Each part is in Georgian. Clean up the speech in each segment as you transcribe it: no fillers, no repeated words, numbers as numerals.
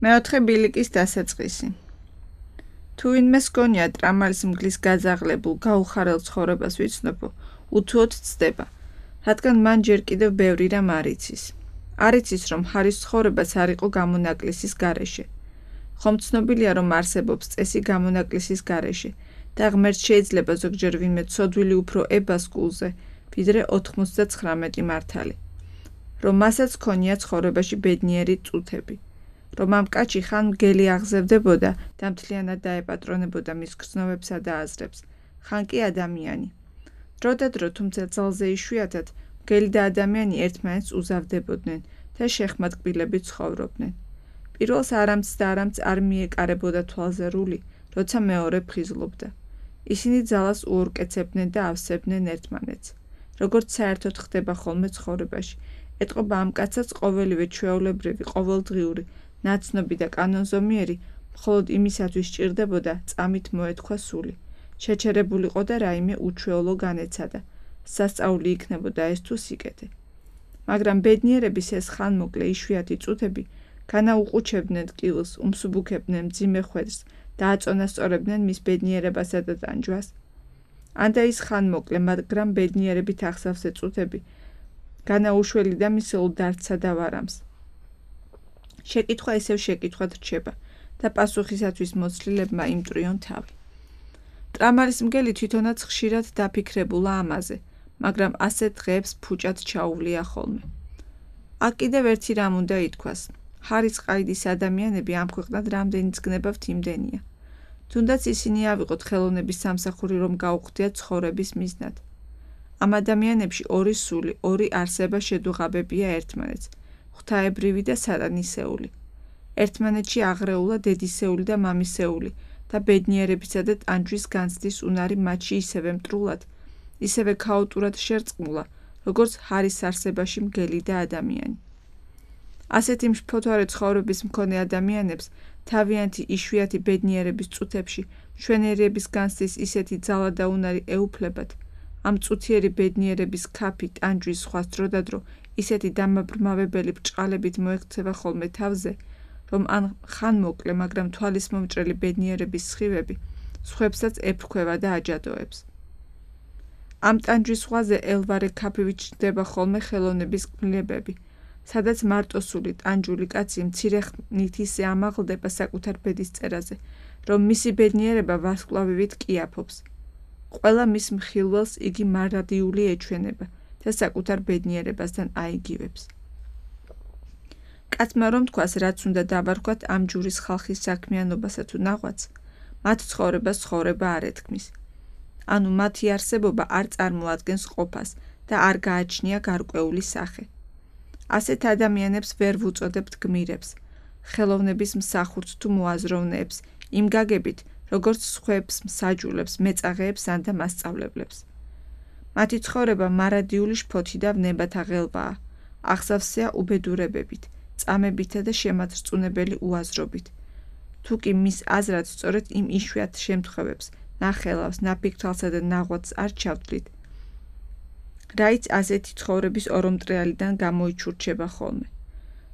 მეოთხე ბილიკის დასაწყისი. თუ ვინმეს გონია ტრამალის მგლის გაზაღლებულ გაუხარელ ცხოვრებას ვიცნობო, უთუოდ ცდება, რადგან მან ჯერ კიდევ ბევრი რამ არ იცის. არ იცის, რომ ჰარის ცხოვრებას არ იყო გამონაკლისის გარეშე. ხომ ცნობილია, რომ არსებობს წესი გამონაკლისის გარეშე და ღმერთს შეიძლება ზოგჯერ ვინმე ცოდვილი უფრო ებას კულზე, ვიდრე 99 მართალი. რომ მასაც ქონია ცხოვრებაში ბედნიერი წუთები. რომ ამ კაცი ხან მგელი აღზევდებოდა და მთლიანად დაეპატრონებოდა მის გრძნობებსა და აზრებს, ხან კი ადამიანი. დრო და დრო, თუმცა ძალზე იშვიათად, მგელი და ადამიანი ერთმანეთს უზავდებოდნენ და შეხმატკბილებით ცხოვრობდნენ. პირველს არამც და არამც არ მიეკარებოდა თვალზე რული, როცა მეორე ფხიზლობდა. ისინი ძალას უორკეცებდნენ და ავსებდნენ ერთმანეთს. როგორც საერთოდ ხდება ხოლმე ცხოვრებაში, ეტყობა ამ კაცაც ყოველივე ჩვეულებრივი, ყოველდღიური, ნაცნობი და კანონზომიერი მხოლოდ იმისათვის სჭირდებოდა წამით მოეთქვა სული, შეჩერებულიყო და რაიმე უჩვეულო განეცადა, სასწაული იქნებოდა ეს თუ სიკეთე. მაგრამ ბედნიერების ეს ხანმოკლე იშვიათი წუთები განაუყუჩებდნენ ტკივილს, უმსუბუქებდნენ მძიმე ხვედრს და აწონასწორებდნენ მის ბედნიერებასა და ტანჯვას. ანდა ის ხანმოკლე, მაგრამ ბედნიერებით ახსავსე წუთები განაუშველი და მისეულ დარდსა და ვარამს. შეკითხვა ისევ შეკითხვად რჩება და პასუხისათვის მოცლილებმა იმტრიონ თავი. ტრამალის მგელი თვითონაც ხშირად დაფიქრებულა ამაზე, მაგრამ ასეთ დღეებს ფუჭად ჩაუვლია ხოლმე. აქ კიდევ ერთი რამ უნდა ითქვას. ჰარის ყაიდის ადამიანები ამ ქვეყნად რამდენიც გნებავთ იმდენია. თუნდაც ისინი ავიღოთ ხელოვნების სამსახური, რომ გაუხდიათ ცხოვრების მიზნად. ამ ადამიანებში ორი სული, ორი არსება შედუღაბებია ერთმანეთს, ღვთაებრივი და სატანისეული. ერთმანეთში აღრეულა დედისეული და მამისეული და ბედნიერებისა და ტანჯვის განცდის უნარი მათში ისევე მტრულად, ისევე ქაოტურად შერწყმულა, როგორც ჰარის არსებაში მგელი და ადამიანი. ასეთი მშფოთვარე ცხოვრების მქონე ადამიანებს თავიანთი იშვიათი ბედნიერების წუთებში მშვენიერების განცდის ისეთი ძალა და უნარი ეუფლებათ, ამ წუთიერი ბედნიერების ქაფი, ტანჯვის სხვას დრო და დრო ისეთი დამაბრმავებელი ბრჭყალებით მოექცევა ხოლმე თავზე, რომ ან ხანმოკლე, მაგრამ თვალისმომჭრელი ბედნიერების სხივები სხვებსაც ეფრქვევა და აჯადოებს. ამ ტანჯვის ზღვაზე ელვარე ქაფივით ჩნდება ხოლმე ხელოვნების კმლებები, სადაც მარტოსული ტანჯული კაცი მცირე ხნით ისე ამაღლდება საკუთარ ბედის წერაზე, რომ მისი ბედნიერება ვარსკვლავივით კიაფობს. ყველა მის მხილველს იგი მარადიული ეჩვენება და საკუთარ ბედნიერებასთან აიგივებს. კაცმა რომ თქვას, რაც უნდა დავარქვათ ამ ჯურის ხალხის საქმიანობასა თუ ნაღვაწ, მათ ცხოვრებას ცხოვრება არ ეთქმის. ანუ მათი არსებობა არ წარმოადგენს ყოფას და არ გააჩნია გარკვეული სახე. ასეთ ადამიანებს ვერ ვუწოდებთ გმირებს, ხელოვნების მსახურს თუ მოაზროვნეებს, იმ გაგებით, როგორც სხვებს მსაჯულებს, მეწაღეებს ან და მასწავლებლებს. მათი ცხოვრება მარადიული შფოთი და ვნებათა ღელვაა, ახსავსეა უბედურებებით, წამებითა და შემაძრწუნებელი უაზრობით. თუ კი მის აზრად სწორედ იმ იშვიათ შემთხვევებს, ნახელავს, ნაფიქრთვალსა და ნაღვაწს არ ჩავთვლით, რაიც ასეთი ცხოვრების ორომტრეალიდან გამოიჩურჩება ხოლმე.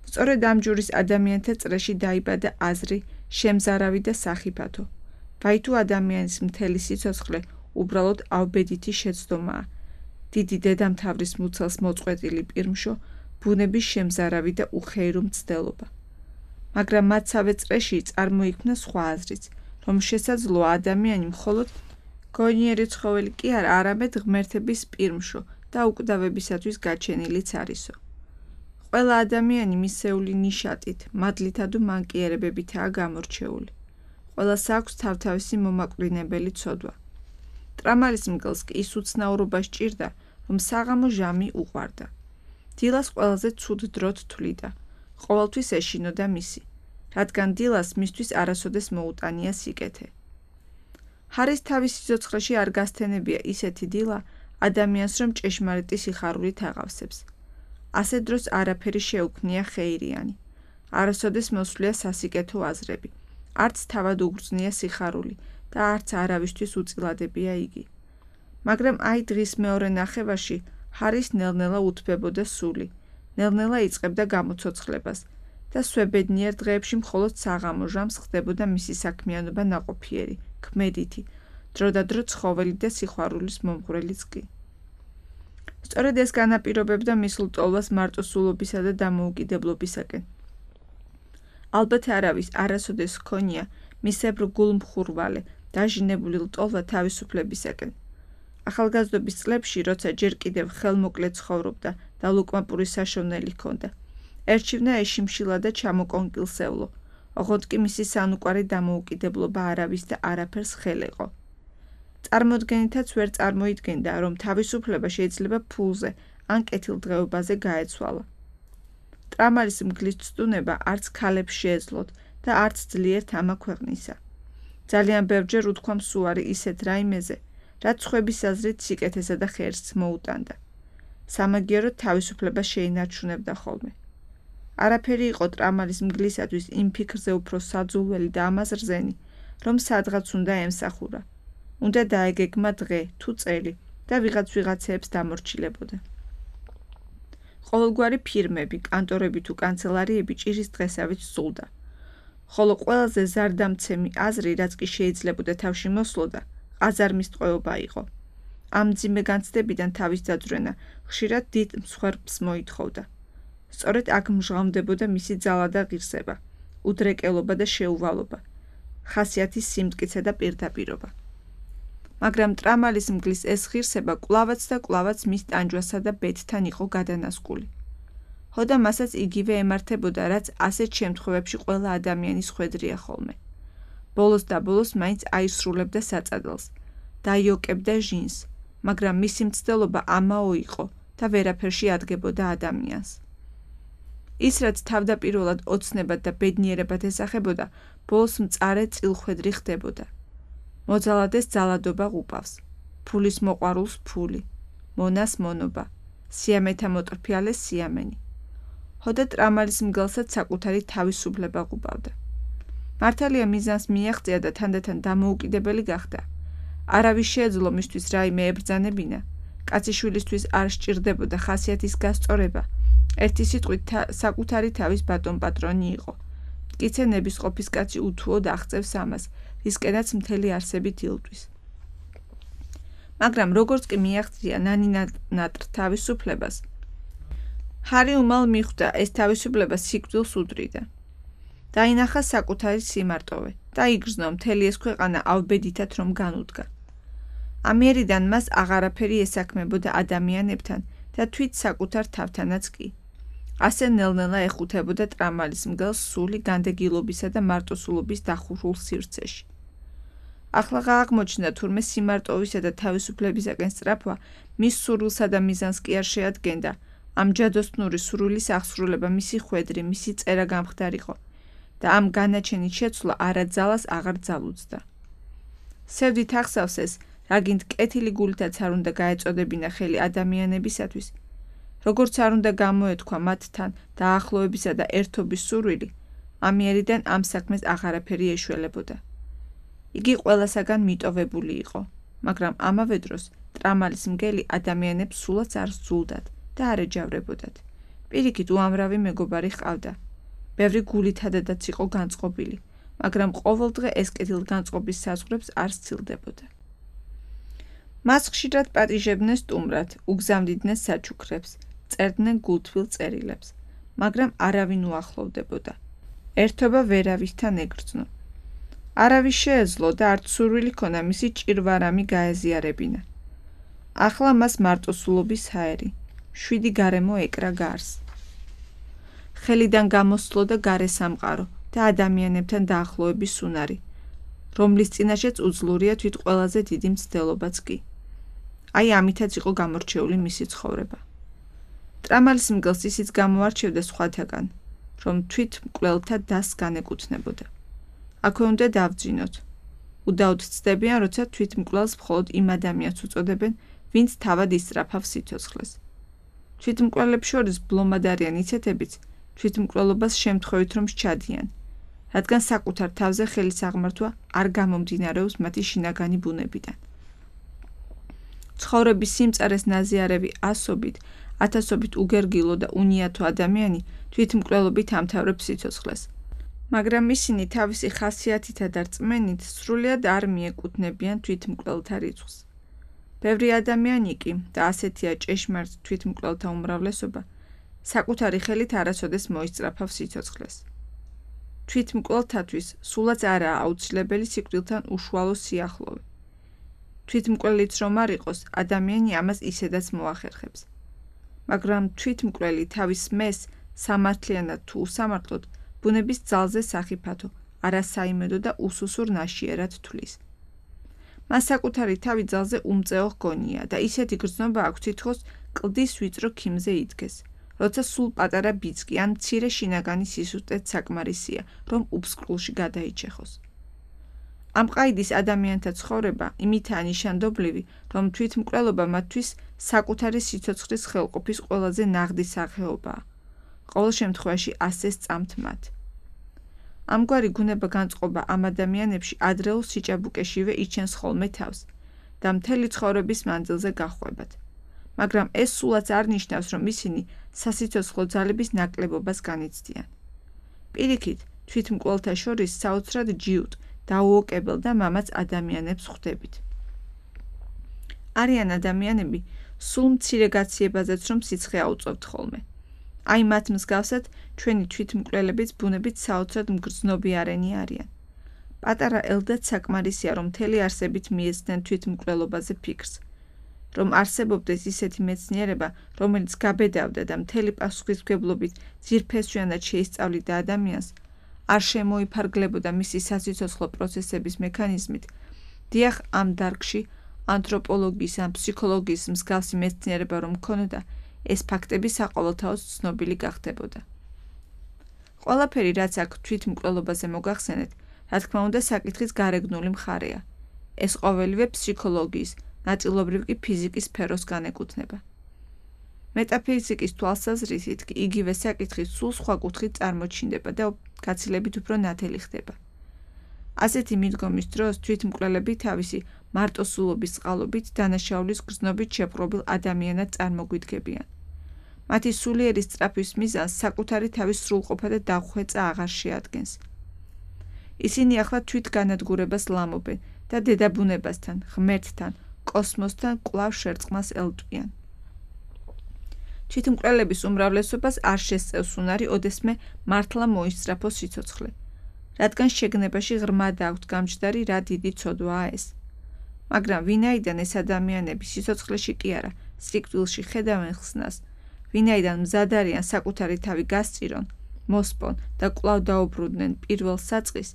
სწორედ ამ ჯურის ადამიანთა წრეში დაიბადა აზრი, შემზარავი და სახიფათო. ვაი თუ ადამიანის მთელი სიცოცხლე უბრალოდ ავბედითი შეცდომაა, დიდი დედამთავრის მუცელს მოწყვეტილი პირმშო, ბუნების შემზარავი და უხეირო მცდელობა. მაგრამ მათსავე წრეში წარმოიქმნა სხვა აზრიც, რომ შესაძლოა ადამიანი მხოლოდ გონიერი ცხოველი კი არა, არამედ ღმერთების პირმშო და უკვდავებისათვის გაჩენილიც არისო. ყველა ადამიანი მისეული ნიშატით, მადლითა თუ მანკიერებებითაა გამორჩეული. ყველას აქვს თავთავისი მომაკვდინებელი ცოდვა. ტრამალის მგელს კი ის უცნაურობა სჭირდა, რომ საღამო ჟამი უყვარდა. დილას ყველაზე ცუდ დროთ თვლიდა, ყოველთვის ეშინოდა მისი, რადგან დილას მისთვის არასოდეს მოუტანია სიკეთე. ჰარის თავის სიცოცხლეში არ გასთენებია ისეთი დილა ადამიანს, რომ ჭეშმარიტი სიხარულით აღავსებს. ასეთ დროს არაფერი შეუქმნია ხეირიანი. არასოდეს მოსვლია სასიკეთო აზრები. არც თავად უგრძნია სიხარული და არც არავისთვის უწილადებია იგი. მაგრამ აი დღის მეორე ნახევარში ჰარის ნელ-ნელა უთბებოდა სული, ნელ-ნელა იწყებდა გამოცოცხლებას და სვებედნიერ დღეებში მხოლოდ საღამო ჟამს ხდებოდა მისი საქმიანობა ნაყოფიერი, ქმედითი, დროდადრო ცხოველი და სიყვარულის მომღვრელიც კი. სწორედ ეს განაპირობებდა მის ლტოლვას მარტოსულობისა და დამოუკიდებლობისაკენ. ალბათ არავის არასოდეს ჰქონია მისებრ გულმხურვალე, დაჟინებული ლტოლვა თავისუფლებისაკენ. ახალგაზრდობის წლებში, როცა ჯერ კიდევ ხელმოკლე ცხოვრობდა და ლუკმაპური საშოვნელი ჰქონდა, ერჩივნა ეშიმშილა და ჩამოკონკილსევლო, ოღონდ კი მისი სანუკვარი დამოუკიდებლობა არავის და არაფერს ხელეყო. წარმოდგენითაც ვერ წარმოიდგენდა, რომ თავისუფლება შეიძლება ფულზე ან კეთილდღეობაზე გაეცვალა. ტრამალის მგლის ცდუნება არც ქალებს შეეძლოთ და არც ძლიერთ ამა ქვეყნისა. ძალიან ბევრჯერ უთქვამს უარი ისეთ რაიმეზე, რაც სხვების აზრით სიკეთესა და ხერხს მოუტანდა. სამაგიეროდ თავისუფლება შეინარჩუნებდა ხოლმე. არაფერი იყო ტრამალის მგლისათვის იმ ფიქრზე უფრო საძულველი და ამას რძენი, რომ სადღაც უნდა ემსახურა. უნდა დაეგეგმა დღე თუ წელი და ვიღაცეებს დამორჩილებოდა. ყოველგვარი ფირმები, კანტორები თუ კანცელარიები ჭირის დღესავით სულდა. ხოლო ყველაზე ზარდამცემი აზრი, რაც კი შეიძლებოდა თავში მოსლოდა, ყაზარმის ტყვეობა იყო. ამ მძიმე განცდებიდან თავის დაძვრენა ხშირად დიდ მსხვერპლს მოითხოვდა. სწორედ აქ მჟღავნდებოდა მისი ძალა და ღირსება, უდრეკელობა და შეუვალობა, ხასიათის სიმტკიცე და პირდაპირობა. მაგრამ ტრამალის მგლის ეს ღირსება კვლავაც და კვლავაც მის ტანჯვასა და ბედთან იყო გადანასკული. ხოდა მასაც იგივე ემართებოდა, რაც ასეთ შემთხვევებში ყველა ადამიანის ხვედრია ხოლმე. ბოლოს და ბოლოს მაინც აისრულებდა საწადელს, დაიოკებდა ჟინს, მაგრამ მისი მცდელობა ამაო იყო და ვერაფერში ადგებოდა ადამიანს. ის, რაც თავდაპირველად ოცნებად და ბედნიერებად ესახებოდა, ბოლოს მწარე წილხვედრი ხდებოდა. მოძალადეს ძალადობა ყუპავს, ფულის მოყვარულს ფული, მონას მონობა, სიამეთა მოტრფიალეს სიამენი. ხოდა ტრამალის მგელსაც საკუთარი თავისუფლება ყუპავდა. მართალია მიზანს მიაღწია და თანდათან დამოუკიდებელი გახდა. არავის შეეძლო მისთვის რაიმე ებრძანებინა, კაციშვილისთვის არ სჭირდებოდა ხასიათის გასწორება, ერთი სიტყვით საკუთარი თავის ბატონ-პატრონი იყო. მტკიცე ნებისყოფის კაცი უთუოდ აღწევს ამას, რისკენაც მთელი არსებით ილტვის. მაგრამ როგორც კი მიაღწია ნანინატრ თავისუფლებას, ჰარი უმალ მიხვდა ეს თავისუფლება სიკვდილს უდრიდა. დაინახა საკუთარი სიმარტოვე და იგრძნო მთელი ეს ქვეყანა ავბედითად რომ განუდგა. ამიერიდან მას აღარაფერი ესაქმებოდა ადამიანებთან და თვით საკუთარ თავთანაც კი. ასე ნელ-ნელა ეხუთებოდა ტრამალის მგელს სული განდეგილობისა და მარტოსულობის დახურულ სივრცეში. ახლა აღმოჩნდა თურმე სიმარტოვისა და თავისუფლებისაკენ სწრაფვა მის სურვილსა და მიზანს კი არ შეადგენდა. ამ ჯადოსნური სურვილის აღსრულება მისი ხვედრი, მისი წერა გამხდარიყო და ამ განაჩენით შეცვლა არა ძალას აღარ ძალუძდა. სევდით ახსავს ეს, რაგინდ კეთილი გულითაც არ უნდა გაეწოდებინა ხელი ადამიანებისათვის, როგორც არ უნდა გამოეთქვა მათთან დაახლოებისა და ერთობის სურვილი, ამიერიდან ამ საქმეს აღარაფერი ეშველებოდა. იგი ყველასაგან მიტოვებული იყო, მაგრამ ამავე დროს ტრამალის მგელი ადამიანებს სულაც არ სძულდათ და არ ეჯავრებოდათ. პირიქით უამრავი მეგობარი ჰყავდა. ბევრი გულითადადაც იყო განწყობილი, მაგრამ ყოველდღე ეს კეთილგანწყობის საზღვრებს არ სცილდებოდა. მას ხშირად პატიჟებდნენ სტუმრად, უგზავნიდნენ საჩუქრებს, წერდნენ გულთბილ წერილებს, მაგრამ არავინ უახლოვდებოდა. ერთობა ვერავისთან ეგრძნო. არავის შეეძლო და არც სურვილი ქონა მისი ჭირვარამი გაეზიარებინა. ახლა მას მარტოსულობის ჰაერი, 7 გარემო ეკრა გარს. ხელიდან გამოსვლო და გარე სამყარო და ადამიანებთან დაახლოების უნარი, რომლის წინაშეც უძლურია თვით ყველაზე დიდი მცდელობაც კი. აი ამითაც იყო გამორჩეული მისი ცხოვრება. ტრამალის მგელს ისიც გამოარჩევდა სხვათაგან, რომ თვით მკვლელთა დასს განეკუთვნებოდა. აქვე უნდა დავძინოთ. უდაოდ ცდებიან, როცა თვით მკვლელს მხოლოდ იმ ადამიანს უწოდებენ, ვინც თავად ისწრაფავს სიცოცხლეს. თვით მკვლელებს შორის ბლომად არიან ისეთებიც, თვით მკვლელობას შემთხვევით რომ სჩადიან, რადგან საკუთარ თავზე ხელის აღმართვა არ გამომდინარეობს მათი შინაგანი ბუნებიდან. ცხოვრების სიმწარეს ნაზიარევი ასობით ათასობით უგერგილო და უნიათო ადამიანი თვითმკვლელობით ამთავრებს სიცოცხლეს. მაგრამ ისინი თავისი ხასიათითა და რწმენით სრულიად არ მიეკუთვნებიან თვითმკვლელთა რიცხვს. ბევრი ადამიანი კი და ასეთია ჭეშმარიტ თვითმკვლელთა უმრავლესობა საკუთარი ხელით არასოდეს მოისწრაფავს სიცოცხლეს. თვითმკვლელთათვის სულაც არაა აუცილებელი სიკვდილთან უშუალო სიახლოვე. თვითმკვლელიც რომ არ იყოს, ადამიანი ამას ისედაც მოახერხებს. მაგრამ თვითმკვლელი თავის მეს სამართლიანად თუ უსამართლოდ ბუნების ძალზე სახიფათო, არასაიმედო და უსუსურ ნაშიერად თვლის. მას საკუთარი თავი ძალზე უმწეო ჰგონია და ისეთი გრძნობა აქვს თითქოს კლდის ვიწრო ქიმზე იდგეს, როცა სულ პატარა ბიძგი ან მცირე შინაგანი სისუსტეც საკმარისია, რომ უფსკრულში გადაიჩეხოს. ამ ყაიდის ადამიანთა ცხოვრება იმითაა ნიშანდობლივი, რომ თვითმკვლელობა მათთვის საკუთარი სიცოცხლის ხელყოფის ყველაზე ნაღდი სახეობაა. ყოველ შემთხვევაში ასე სწამთ მათ. ამგვარი გუნება განწყობა ამ ადამიანებში ადრეულ სიჭაბუკეშივე იჩენს ხოლმე თავს და მთელი ცხოვრების მანძილზე გაჰყვებათ. მაგრამ ეს სულაც არ ნიშნავს, რომ ისინი სასიცოცხლო ძალების ნაკლებობას განიცდიან. პირიქით, თვითმკვლელთა შორის საოცრად ჯიუტ, დაუოკებელ და მამაც ადამიანებს ხვდებით. არიან ადამიანები სულ მცირე გაციებაზეც რომ სიცხე აუწევთ ხოლმე. აი მათ მსგავსად ჩვენი თვითმკვლელებიც ბუნებით საოცრად მგრძნობიარენი არიან. პატარა ელდაც საკმარისია, რომ მთელი არსებით მიეცდნენ თვითმკვლელობაზე ფიქრს. რომ არსებობდეს ისეთი მეცნიერება, რომელიც გაბედავდა და მთელი პასუხისმგებლობით ძირფესვიანად შეისწავლიდა ადამიანს, არ შემოიფარგლებოდა მისი სასიცოცხლო პროცესების მექანიზმით, დიახ, ამ დარგში ანთროპოლოგიის ან ფსიქოლოგიის მსგავსი მეცნიერება რომ ქონოდა, ეს ფაქტები საყოველთაოდ ცნობილი გახდებოდა. ყველაფერი, რაც აქ თვითმკვლელობაზე მოგახსენეთ, რა თქმა უნდა, საკითხის გარეგნული მხარეა. ეს ყოველივე ფსიქოლოგიის, ნაწილობრივ კი ფიზიკის სფეროს განეკუთვნება. მეტაფიზიკის თვალსაზრისით კი იგივე საკითხი სულ სხვა კუთხით წარმოჩინდება და გაცილებით უფრო ნათელი ხდება. ასეთი მიდგომის დროს თვითმკვლელები თავისი მარტოსულობის წყალობით დანაშაულის გრძნობით შეპყრობილ ადამიანად წარმოგვიდგებიან. მათი სულიერი სწრაფვის მიზანს საკუთარი თავის სრულყოფა და დახვეწა აღარ შეადგენს. ისინი ახლა თვითგანადგურებას ლამობენ და დედაბუნებასთან, ღმერთთან, კოსმოსთან კვლავ შერწყმას ელტვიან. თვითმკვლელების უმრავლესობას არ შესწევს უნარი ოდესმე მართლა მოისწრაფოს სიცოცხლე, რადგან შეგნებაში ღრმად აქვთ გამჯდარი რა დიდი ცოდვაა ეს. მაგრამ ვინაიდან ეს ადამიანები სიცოცხლეში კი არა, სიკვდილში ხედავენ ხსნას, ვინაიდან მზად არიან საკუთარი თავი გასწირონ, მოსპონ და კვლავ დაუბრუნდნენ პირველ საწყის,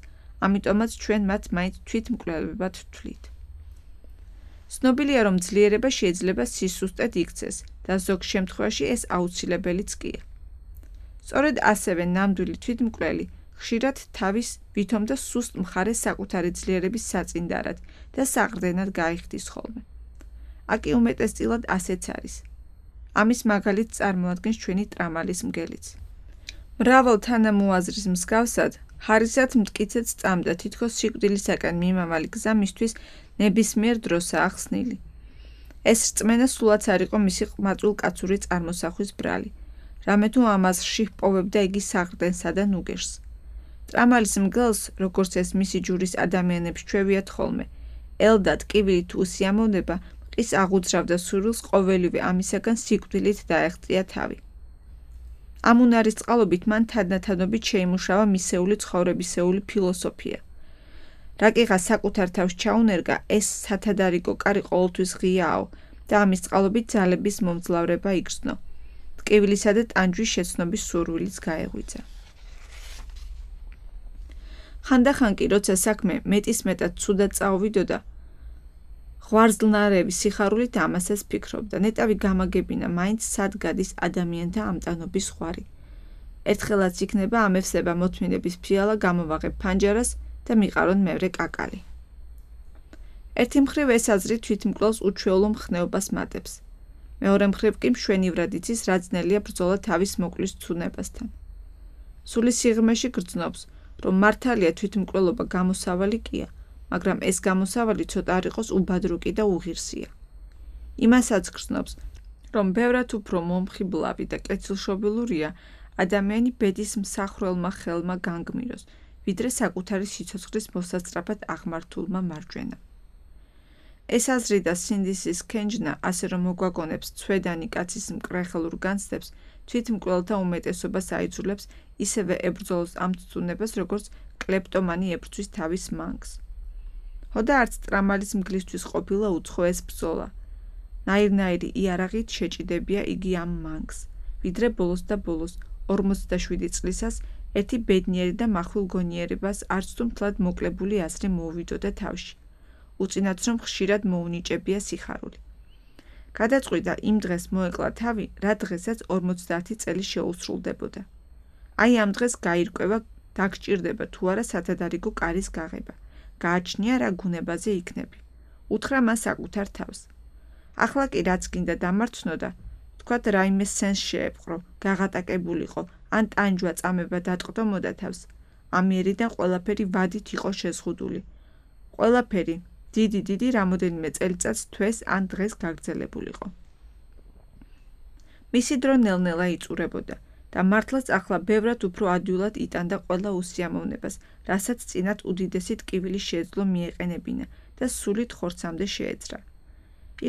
ამიტომაც ჩვენ მათ მაინც თვითმკვლელებად ვთვლით. ცნობილია, რომ ძლიერება შეიძლება სისუსტედ იქცეს და ზოგ შემთხვევაში ეს აუცილებელიც კია. სწორედ ასევე ნამდვილი თვითმკვლელი ხშირად თავის ვითომ და სუსტ მხარეს საკუთარი ძლიერების საწინდარად და საყრდენად გაიხდის ხოლმე. აკი უმეტესწილად ასეც არის. ამის მაგალითს წარმოადგენს ჩვენი ტრამალის მგელიც. მრავალ თანამოაზრის მსგავსად, ჰარისად მტკიცედ სწამდა თითქოს სიკვდილისაკენ მიმავალი გზა მისთვის ნებისმიერ დროსაა ხსნილი. ეს რწმენა სულაც არ იყო მისი ყმაწვილ კაცური წარმოსახვის ბრალი, რამე თუ ამაზრში ჰპოვებდა იგი საყრდენსა და ნუგეშს. ტრამალის მგელს, როგორც ეს მისი ჯურის ადამიანებს ჩვევიათ ხოლმე, ელდად კიბილი თუ უსიამოვნება მყის აღუძრავდა სურვილს ყოველივე ამისაგან სიკვდილით დაეღწია თავი. ამ უნარის წყალობით მან თანდათანობით შეიმუშავა მისეული ცხოვრებისეული ფილოსოფია. რაკიღა საკუთარ თავს ჩაუნერგა, ეს სათადარიგო კარი ყოველთვის ღიაო და ამის წყალობით ძალების მომძლავრება იგრძნო. ტკივილისა და ტანჯვის შეცნობის სურვილიც გაეღვიძა. ხანდახან კი, როცა საქმე მეტისმეტად ცუდად წაუვიდოდა, ღვარძლნარევი სიხარულით ამასაც ფიქრობდა, ნეტავი გამაგებინა მაინც სად გადის ადამიანთა ამტანობის ხვარი. ერთხელაც იქნება ამევსება მოთმინების ფიალა გამოვაღებ ფანჯარას და მიყარონ მევრე კაკალი. ერთი მხრივ ეს აზრი თვითმკვლელს უჩვეულო მხნეობას მატებს. მეორე მხრივ კი მშვენივრად იცის, რა ძნელია ბრძოლა თავის მოკვლის ცუნებასთან. სული სიღრმეში გრძნობს, რომ მართალია თვითმკვლელობა გამოსავალი კია, მაგრამ ეს გამოსავალი ცოტა არ იყოს უბადრუკი და უღირსია. იმასაც გრძნობს, რომ ბევრად უფრო მომხიბლავი და კეთილშობილურია ადამიანი ბედის მსახვრელმა ხელმა განგმიროს, ვიდრე საკუთარი სიცოცხლის მოსასწრაფად აღმართულმა მარჯვენამ. ეს აზრი და სინდისის ქენჯნა, ასე რომ მოგვაგონებს ცვედანი კაცის მკრეხელურ განცდებს, თვითმკვლელთა უმეტესობას აიძულებს ისევე ებრძოლოს ამ ცდუნებას, როგორც კლეპტომანი ებრძვის თავის მანგს. ხოდა არც ტრამალის მგლისთვის ყოფილა უცხო ეს ბრძოლა. ნაირ-ნაირი იარაღით შეჭიდებია იგი ამ მანგს, ვიდრე ბოლოს და ბოლოს 47 წლისას ერთი ბედნიერი და მახვილ გონიერებას არც თუ მთლად მოკლებული აზრი მოუვიდოდა თავში. უწინათ რომ ხშირად მოუნიჭებია სიხარული. გადაწყვიტა იმ დღეს მოეკლა თავი, რა დღესაც 50 წელი შეუსრულდებოდა. აი ამ დღეს გაირკვევა, დაგჭირდება თუ არა სათადარიგო კარის გაღება. გააჩნია რა გუნებაზე იქნები. უთხრა მას საკუთარ თავს. ახლა კი რაც გინდა დამარცხნოდა, თქვათ რაიმე სენს შეეპყრო, გაღატაკებულიყო, ან ტანჯვა წამება დატყდომოდა თავს. ამიერიდან ყველაფერი ვადით იყო შეზღუდული. ყველაფერი დიდი რამოდენიმე წელიწადს თვეს ან დღეს გაგრძელებულიყო. მისი დრო ნელ-ნელა იწურებოდა და მართლაც ახლა ბევრად უფრო ადვილად იტანდა ყველა უსიამოვნებას, რასაც წინათ უდიდესი ტკივილი შეეძლო მიეყენებინა და სულით ხორცამდე შეეძრა.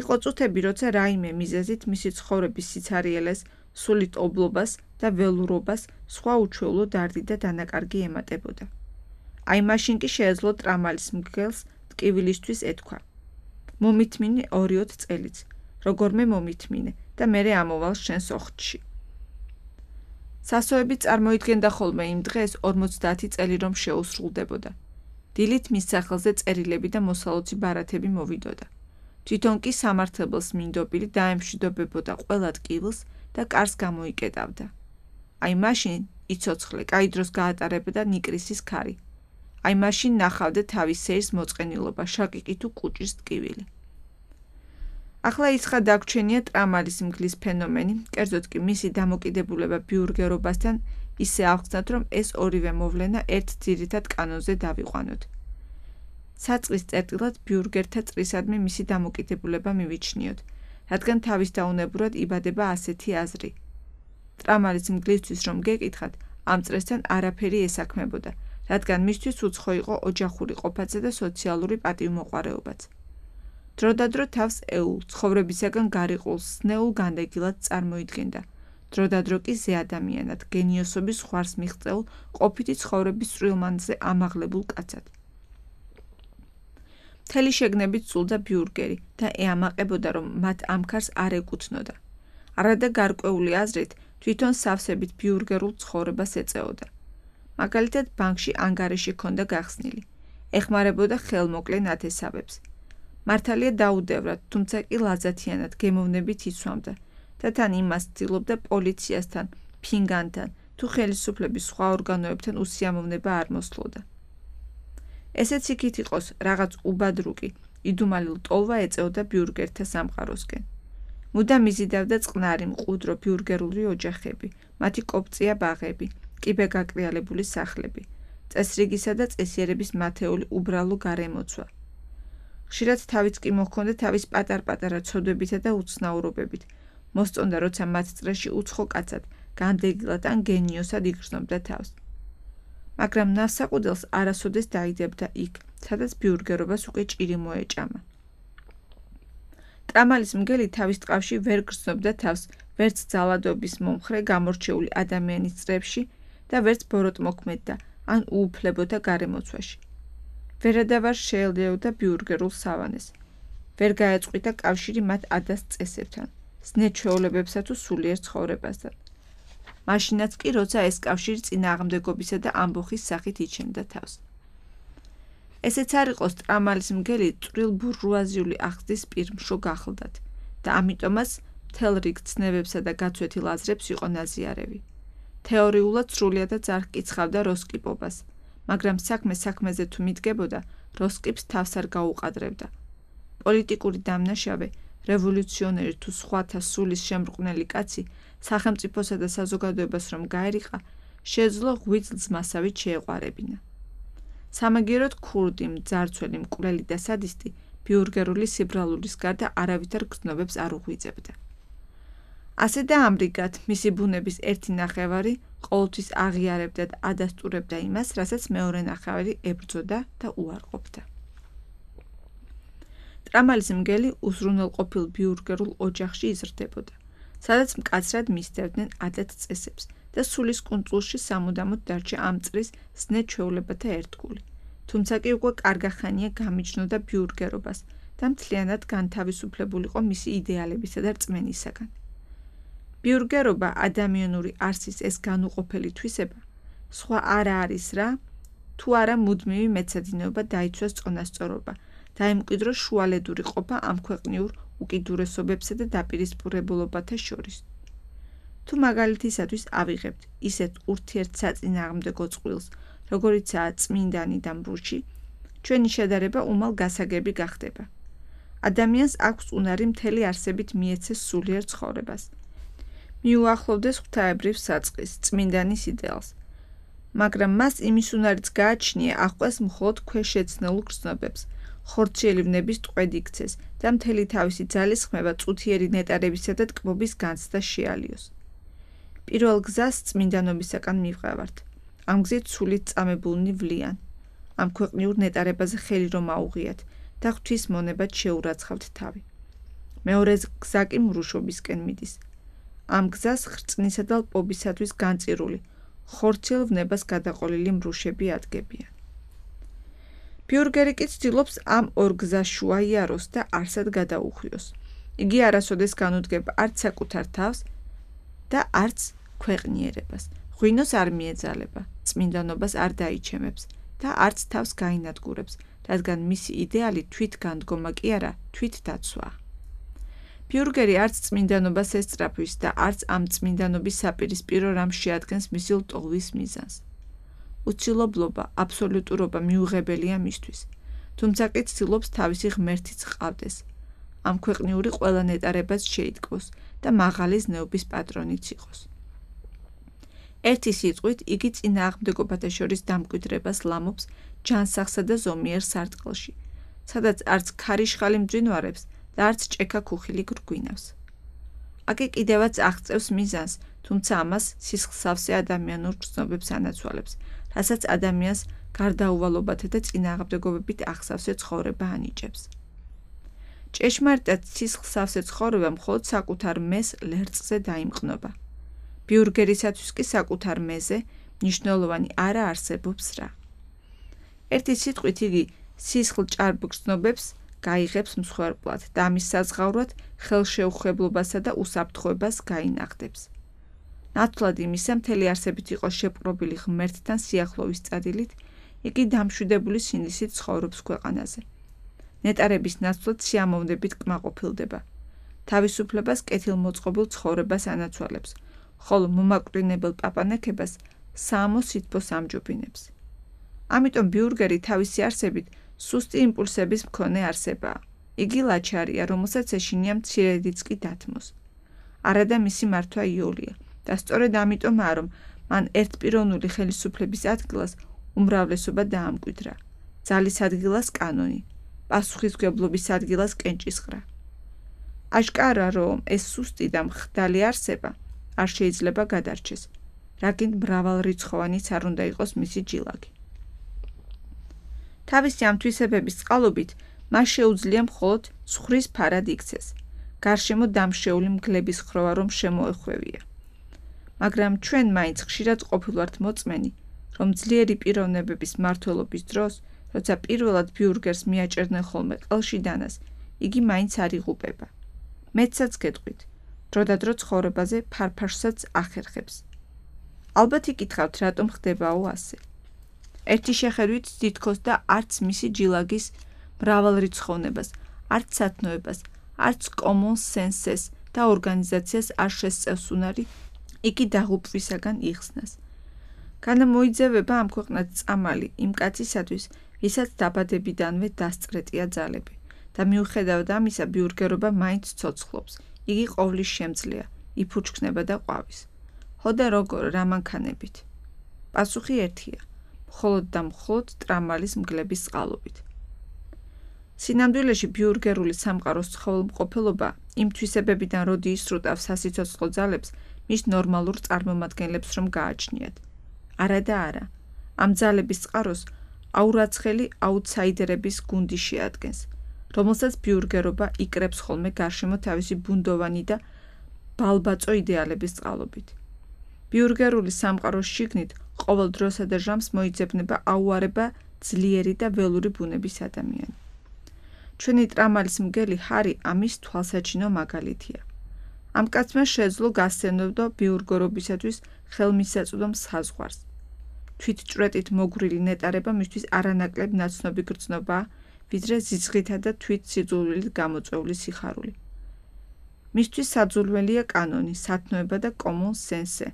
იყო წუთები, როცა რაიმე მიზეზით მისი ცხოვრების სიცარიელეს, სულით ობლობას და ველურობას სხვა უჩვეულო დარდი და დანაკარგი ემატებოდა. აი მაშინ კი შეეძლო ტრამალის მგელს ტკივილისთვის ეთქვა. მომითმინე 2 წელიც, როგორმე მომითმინე და მერე ამოვალ შენს ოხთში. სასოები წარმოიდგენდა ხოლმე იმ დღეს 50 წელი რომ შეუსრულდებოდა. დილით მის სახელზე წერილები და მოსალოცი ბარათები მოვიდოდა. თვითონ კი სამართლებელს მინდობილი დაემშვიდობებოდა ყველა ტკივილს და კარს გამოიკეტავდა. აი მაშინ იცოცხლე, კაი დროს გაატარებდა ნიკრისის ქარი. აი მაშინ ნახავდა თავის სეირს მოწყენილობა, შაკიკი თუ კუჭის ტკივილი. ახლა ისხა დაგვრჩენია ტრამალის მგლის ფენომენი, კერძოდ კი მისი დამოკიდებულება ბიურგერობასთან ისე ავხსნათ, რომ ეს ორივე მოვლენა ერთ ძირითად კანონზე დავიყვანოთ. საწყის წერტილად ბიურგერთა წრისადმი მისი დამოკიდებულება მივიჩნიოთ, რადგან თავის დაუნებურად იბადება ასეთი აზრი. ტრამალის მგლისთვის რომ გეკითხათ, ამ წრესთან არაფერი ესაქმებოდა, რადგან მისთვის უცხო იყო ოჯახური ყოფაცე და სოციალური პატივმოყვარეობაც. დროდადრო თავს ეულ, ცხოვრებისაგან გარიყულ სნეულ განდეგილად წარმოიდგენდა. დროდადრო კი ზეადამიანად, გენიოსობის ხვარს მიღწეულ, ყოფითი ცხოვრების წვრილმანზე ამაღლებულ კაცად. მთელი შეგნებით სულდა ბიურგერი და ეამაყებოდა, რომ მათ ამ ქარს არ ეკუთვნოდა. არადა გარკვეული აზრით, თვითონ სავსებით ბიურგერულ ცხოვრებას ეწეოდა. მაგალითად, ბანკში ანგარიში ჰქონდა გახსნილი. ეხმარებოდა ხელმოკლე ნათესავებს. მართალია დაუდევრად, თუმცა კი ლაზათიანად გემოვნებით იცვამდა და თან იმას ცდილობდა პოლიციასთან, ფინგანთან თუ ხელისუფლების სხვა ორგანოებთან უსიამოვნება არ მოსლოდა. ესეც იქით იყოს, რაღაც უბადრუკი, იდუმალილ ტოლვა ეწეოდა ბიურგერთა სამყაროსკენ. მუდამ იზიდავდა წყნარი, მყუდრო ბიურგერული ოჯახები, მათი კოპწია ბაღები, კიბეგაკრიალებული სახლები, წესრიგისა და წესიერების მათეული უბრალო გარემოცვა. ხშირად თავიც კი მოჰქონდა თავის პატარ-პატარა ცოდვებითა და უცნაურობებით, მოსწონდა, როცა მათ წრეში უცხო კაცად, განდეგილად ან გენიოსად იგრძნობდა თავს. მაგრამ ნავსაყუდელს არასოდეს დაიდებდა იქ, სადაც ბიურგერობას უკვე ჭირი მოეჭამა. ტრამალის მგელი თავის ტყავში ვერ გრძნობდა თავს, ვერც ძალადობის მომხრე გამორჩეული ადამიანის წრებში და ვერც ბოროტმოქმედდა ან უუფლებოდა გარემოცვაში. ვერადავარ შეელეოდა ბიურგერულ სავანეს. ვერ გაეწყვიტა კავშირი მათ ადას წესებთან, ზნე-ჩვეულებებსა თუ სულიერ ცხოვრებასთან. მაშინაც კი, როცა ეს კავშირი წინააღმდეგობისა და ამბოხის სახით იჩენდა თავს. ესეც არ იყოს ტრამალის მგელი წვრილ ბურჟუაზიული აღზრდის პირმშო გახლდათ და ამიტომაც მთელ რიგ ცნებებსა და გაცვეთილ აზრებს იყო ნაზიარევი. თეორიულად სრულიადად არ ჰკიცხავდა როსკიპობას, მაგრამ საქმეზე თუ მიდგებოდა, როსკიპს თავს არ გაუყადრებდა. პოლიტიკური დამნაშავე, რევოლუციონერი თუ სხვათა სულის შემრყნელი კაცი, სახელმწიფოსა და საზოგადოებას რომ გაერიყა, შეეძლო ღვიძლს მასავით შეეყვარებინა. სამაგიეროდ ქურდი, მძარცველი, მკვლელი და სადისტი ბიურგერული სიბრალურის გარდა არავითარ გრძნობებს არ უღვიძებდა. ასე და ამრიგად მისი ბუნების ერთი ნახევარი ყოველთვის აღიარებდა და ადასტურებდა იმას, რასაც მეორე ნახევარი ებრძოდა და უარყოფდა. ტრამალის მგელი უზრუნველყოფილ ბიურგერულ ოჯახში იზრდებოდა, სადაც მკაცრად მისდევდნენ ადათ წესებს და სულის კუნძულში სამუდამოდ დარჩა ამ წრის ზნე-ჩვეულებათა ერთგული. თუმცა კი უკვე კარგახანია გამიჯნოდა ბიურგერობას და მთლიანად განთავისუფლებულიყო მისი იდეალებისა და რწმენისაგან. ბიურგერობა ადამიანური არსის ეს განუყოფელი თვისება, სხვა არა არის რა, თუ არა მუდმივი მეცადინეობა დაიცვას წონასწორობა, დაემკვიდრო შუალედური ყოფა ამ ქვეყნიურ უკიდურესობებსა და დაპირისპირებულობათა შორის. თუ მაგალითისათვის ავიღებთ ისეთ ურთიერთსაწინააღმდეგო წყვილს, როგორიცაა წმინდანი და მრუში, ჩვენი შედარება უმალ გასაგები გახდება. ადამიანს აქვს უნარი მთელი არსებით მიეცეს სულიერ ცხოვრებას. მიუახლოვდეს ღვთაებრივ საწყის, წმინდანის იდეალს, მაგრამ მას იმის უნარიც გააჩნია აღყვეს მხოლოდ ქვეშეცნებულ გრძნობებს, ხორციელი ვნების ტყვედ იქცეს და მთელი თავისი ძალისხმევა წუთიერი ნეტარებისა და ტკბობის განცდა შეალიოს. პირველ გზას წმინდანობისაკენ მივყავართ. ამ გზით სულით წამებულნი ვლიან. ამ ქვეყნიურ ნეტარებაზე ხელი რომ აუღიათ და ღვთის მონებად შეურაცხავთ თავი. მეორე გზა კი მრუშობისკენ მიდის. ამ გზას ხრწნისა და ლპობისათვის განწირული, ხორციელ ვნებას გადაყოლილი მრუშები ადგებიან. ბიურგერი კი ცდილობს ამ ორ გზას შუა იაროს და არსად გადაუხვიოს. იგი არასოდეს განუდგება არც საკუთარ თავს და არც ქვეყნიერებას. ღვინოს არ მიეძალება, წმინდანობას არ დაიჩემებს და არც თავს გაინადგურებს, რადგან მისი იდეალი თვითგანდგომა კი არა, თვითდაცვაა. ბიურგერი არც წმინდანობას ესწრაფვის და არც ამ წმინდანობის საპირისპირო რამს შეადგენს მისი ლტოლვის მიზანს. უცილობლობა, აბსოლუტურობა მიუღებელია მისთვის, თუმცა კი ცდილობს თავისი ღმერთიც ჰყავდეს, ამ ქვეყნიური ყველა ნეტარებას შეიტკბოს და მაღალი ზნეობის პატრონიც იყოს. ერთი სიტყვით იგი წინააღმდეგობათა შორის დამკვიდრებას ლამობს ჯანსაღსა და ზომიერ სარტყელში, სადაც არც ქარიშხალი მძვინვარებს და არც ჭექა ქუხილი გრგვინავს. აკი კიდევაც აღწევს მიზანს, თუმცა ამას სისხლსავსე ადამიანურ გრძნობებს ანაცვალებს, რასაც ადამიანს გარდაუვალობათა და წინააღმდეგობებით აღსავსე ცხოვრება ანიჭებს. ჭეშმარიტად სისხლსავსე ცხოვრება მხოლოდ საკუთარ მეს ლერწზე დაიმყნობა. ბიურგერისათვის კი საკუთარ მეზე მნიშვნელოვანი არა არსებობს რა. ერთი სიტყვით იგი სისხლ-ჭარბ გრძნობებს გაიღებს მსხვერპლად და ამის საზღავრად ხელშეუხებლობასა და უსაფრთხოებას გაინახდებს. ნათლად იმისა, მთელი არსებით იყო შეპყრობილი ღმერთთან სიახლოვის წადილით, იგი დამშვიდებული სინდისით ცხოვრობს ქვეყანაზე. ნეტარების ნაცვლად სიამოვნებით კმაყოფილდება. თავისუფლებას კეთილმოწყობილ ცხოვრებას ანაცვალებს, ხოლო მომაკვდინებელ პაპანექებას საამო სითბოს ამჯობინებს. ამიტომ ბიურგერი თავისი არსებით სუსტი იმპულსების მქონე არსებაა. იგი ლაჩარია, რომელსაც ეშინია მცირედიც კი დათმოს. არადა მისი მართვა იოლია და სწორედ ამიტომაა, რომ მან ერთპიროვნული ხელისუფლების ადგილას უმრავლესობა დაამკვიდრა, ძალის ადგილას კანონი, პასუხისმგებლობის ადგილას კენჭისყრა. აშკარა, რომ ეს სუსტი და მხდალი არსება არ შეიძლება გადარჩეს, რაგინ მრავალრიცხოვანიც არ უნდა იყოს მისი ჯილაკი. თავისი ამ თვისებების წყალობით მას შეუძლია მხოლოდ ცხრის ფარად იქცეს, გარშემო დამშეული მგლების ხროვა რომ შემოეხვევია. მაგრამ ჩვენ მაინც ხშირად ყოფილვართ მოწმენი, რომ ძლიერი პიროვნებების მმართველობის დროს, როცა პირველად ბიურგერს მიაჭერდნენ ხოლმე ყელში დანას, იგი მაინც არ იღუპება. მეცაც გეტყვით, დროდადრო ცხოვრებაზე ფარფაშსაც ახერხებს. ალბათ იკითხავთ, რატომ ხდებაო ასე. ერთი შეხედვით თითქოს და არც მისი ჯილაგის მრავალრიცხოვნებას, არც სათნოებას, არც common sense-ს და ორგანიზაციას არ შესწევს უნარი იგი დაღუპვისაგან იხსნას. განამოიძევება ამ ქვეყნად წამალი იმ კაცისათვის, ვისაც დაბადებიდანვე დასწრეტია ძალები და მიუხედავად ამისა ბიურგერობა მაინც ცოცხლობს. იგი ყოვლის შემძლეა, იფუჩქნება და ყვავის. ხო და როგორ რა მანქანებით? პასუხი ერთია, მხოლოდ და მხოლოდ ტრამალის მგლების წყალობით. სინამდვილეში ბიურგერული სამყაროს ცხოველმყოფელობა იმ თვისებებიდან როდი ისრუტავს სასიცოცხლო ძალებს, მის ნორმალურ წარმომადგენლებს რომ გააჩნიათ. არა და არა. ამ ძალების წყაროს აურაცხელი აუთსაიდერების გუნდი შეადგენს, რომელსაც ბიურგერობა იკრებს ხოლმე გარშემო თავისი ბუნდოვანი და ბალბაწო იდეალების წყალობით. ბიურგერული სამყაროს შიგნით ყოველ დროსა და ჟამს მოიძებნება აუარება ძლიერი და ველური ბუნების ადამიანი. ჩვენი ტრამალის მგელი ჰარი ამის თვალსაჩინო მაგალითია. ამ კაცმა შეძლო გასცემნოდო ბიურგერობისათვის ხელმისაწვდომ საზღვარს. თვითჭვრეტით მოგვრილი ნეტარება მისთვის არანაკლებ ნაცნობი გრძნობაა, ვიდრე ზიცხითა და თვით სიძულვილით გამოწვეული სიხარული. მისთვის საძულველია კანონი, სათნოება და common sense,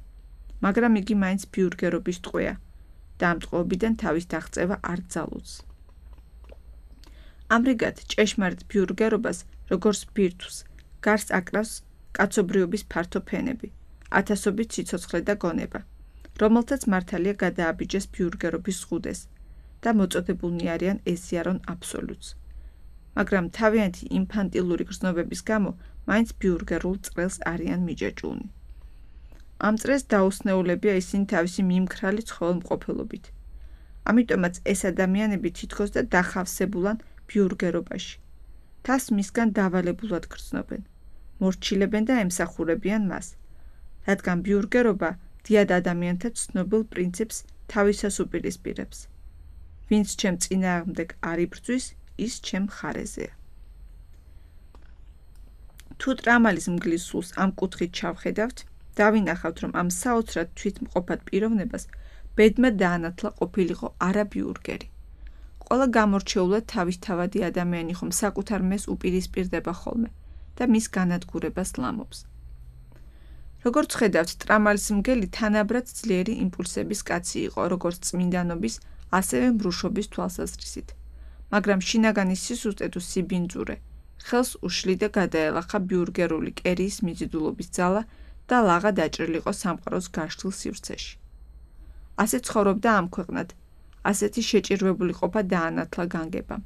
მაგრამ იგი მაინც ბიურგერობის ტყვეა და ამ ტყვეობიდან თავის დაღწევა არ ძალუძს. ამრიგად, ჭეშმარიტ ბიურგერობას, როგორც ბირთვს, გარს აკრავს კაცობრიობის ფართო ფენები, ათასობით სიცოცხლე და გონება, რომელთაც მართალია გადააბიჯეს ბიურგერობის ზღუდეს და მოწოდებულნი არიან ეზიარონ აბსოლუტს. მაგრამ თავიანთი ინფანტილური გრძნობების გამო მაინც ბიურგერულ წრეს არიან მიჯაჭვულნი. ამ წრეს დაუსნეულებია ისინი თავისი მიმქრალი ცხოველმყოფელობით. ამიტომაც ეს ადამიანები თითქოს და დახავსებულან ბიურგერობაში. თავს მისგან დავალებულად გრძნობენ, მორჩილებენ და ემსახურებიან მას, რადგან ბიურგერობა დიად ადამიანთა ცნობილ პრინციპს თავისას უპირისპირებს. ვინც ჩემ წინააღმდეგ არ იბრძვის, ის ჩემ მხარეზეა. თუ ტრამალის მგლის სულს ამ კუთხით ჩავხედავთ, დავინახავთ, რომ ამ საოცრად თვითმყოფად პიროვნებას ბედმა დაანათლა ყოფილიყო არა ბიურგერი. ყველა გამორჩეულად თავისთავადი ადამიანი ხომ საკუთარ მეს უპირისპირდება ხოლმე და მის განადგურებას ლამობს. როგორც ხედავთ, ტრამალის მგელი თანაბრად ძლიერი იმპულსების კაცი იყო, როგორც წმინდანობის, ასევე მრუშობის თვალსაზრისით, მაგრამ შინაგანი სისუსტე თუ სიბინძურე ხელს უშლი და გადაელახა ბიურგერული კერიის მიზიდულობის ძალა და ლაღა დაჭრილიყო სამყაროს გაშლილ სივრცეში. ასე ცხოვრობდა ამ ქვეყნად, ასეთი შეჭირვებული ყოფა დაანათლა განგებამ.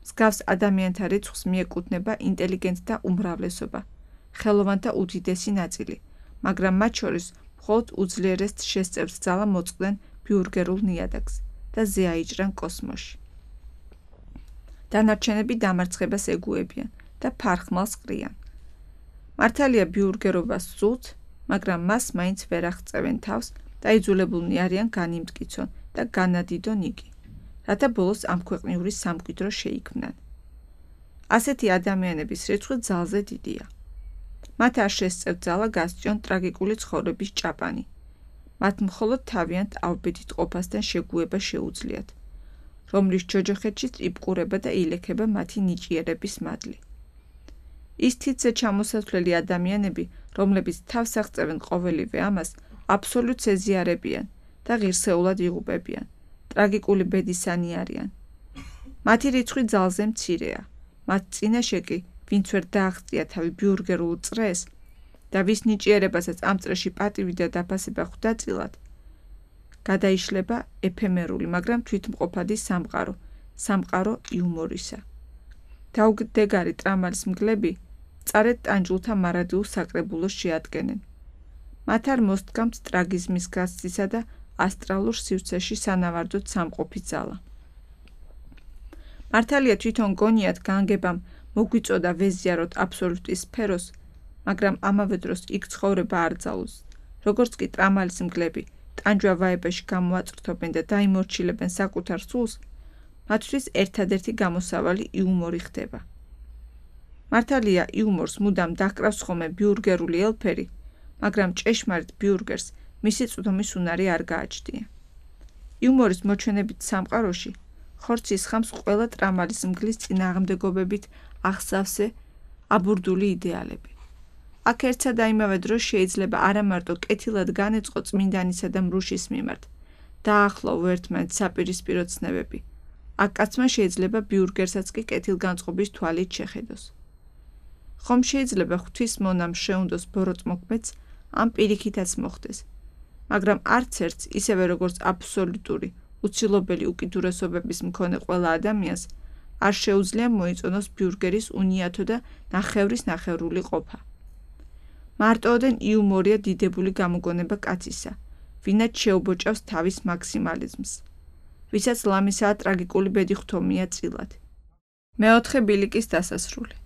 მსგავს ადამიანთა რიცხვს მიეკუთვნება ინტელიგენტთა უმრავლესობა, ხელოვანთა უდიდესი ნაწილი, მაგრამ მათ შორის მხოლოდ უძლიერეს შესწევს ძალა მოწყდნენ ბიურგერულ ნიადაგს და ზეაიჭრან კოსმოსში. დანარჩენები დამარცხებას ეგუებიან და ფარხმალს ყრიან. მართალია ბიურგერობას სძულთ, მაგრამ მას მაინც ვერ აღწევენ თავს და იძულებულნი არიან განიმტკიცონ და განადიდონ იგი, რათა ბოლოს ამ ქვეყნიური სამკვიდრო შეიქმნან. ასეთი ადამიანების რიცხვი ძალზე დიდია. მათ არ შესწევთ ძალა გასწიონ ტრაგიკული ცხოვრების ჭაპანი. მათ მხოლოდ თავიანთ ავბედით ყოფასთან შეგუება შეუძლიათ, რომლის ჯოჯოხეთში ტრიპყურება და ილექება მათი ნიჭიერების მადლი. ის თითზე ჩამოსათვლელი ადამიანები, რომლებიც თავს აღწევენ ყოველივე ამას, აბსოლუტს ეზიარებიან და ღირსეულად იღუპებიან, ტრაგიკული ბედისანი არიან. მათი რიცხვი ძალზე მცირეა, მათ წინაშე კი, ვინც ვერ დააღწია თავი ბიურგერულ წრეს და ვის ნიჭიერებასაც ამ წრეში პატივი და დაფასება ხვდა წილად, გადაიშლება ეფემერული, მაგრამ თვითმყოფადი სამყარო იუმორისა. დაუგდეგარი ტრამალის მგლები წარეთ ტანჯულთა მარადიულ საკრებულოს შეადგენენ. მათ არ მოსდგამთ ტრაგიზმის გასცისა და ასტრალურ სივრცეში სანავარდოდ სამყოფი ძალა. მართალია თვითონ გონიათ განგებამ მოგვიწოდა ვეზიაროთ აბსოლუტის სფეროს, მაგრამ ამავე დროს იქ ცხოვრება არ ძალუძს, როგორც კი ტრამალის მგლები ტანჯვა ვაებაში გამოაწრთობენ და დაიმორჩილებენ საკუთარ სულს, მათთვის ერთადერთი გამოსავალი იუმორი ხდება. მართალია იუმორს მუდამ დაჰკრავს ხოლმე ბიურგერული ელფერი, მაგრამ ჭეშმარიტ ბიურგერს მისი წვდომის უნარი არ გააჩნია. იუმორის მოჩვენებით სამყაროში ხორცის ხამს ყველა ტრამალის მგლის წინააღმდეგობებით აღსავსე აბურდული იდეალები. აქ ერთსა და იმავე დროს შეიძლება არა მარტო კეთილად განეწყო წმინდანისა და მრუშის მიმართ, დაახლოვო ერთმანეთს საპირისპირო ცნებები. აქ კაცმა შეიძლება ბიურგერსაც კი კეთილგანწყობის თვალით შეხედოს. ხომ შეიძლება ღვთის მონამ შეუნდოს ბოროტმოქმედს ამ პირიქითაც მოხდეს, მაგრამ არც ერთს ისევე როგორც აბსოლუტური, უცილობელი უკიდურესობების მქონე ყველა ადამიანს არ შეუძლია მოიწონოს ბიურგერის უნიათო და ნახევრის ნახევრული ყოფა. მარტოოდენ იუმორია დიდებული გამოგონება კაცისა, ვინაც შეუბოჭავს თავის მაქსიმალიზმს, ვისაც ლამისაა ტრაგიკული ბედი ხთომია წილად. მეოთხე ბილიკის დასასრული.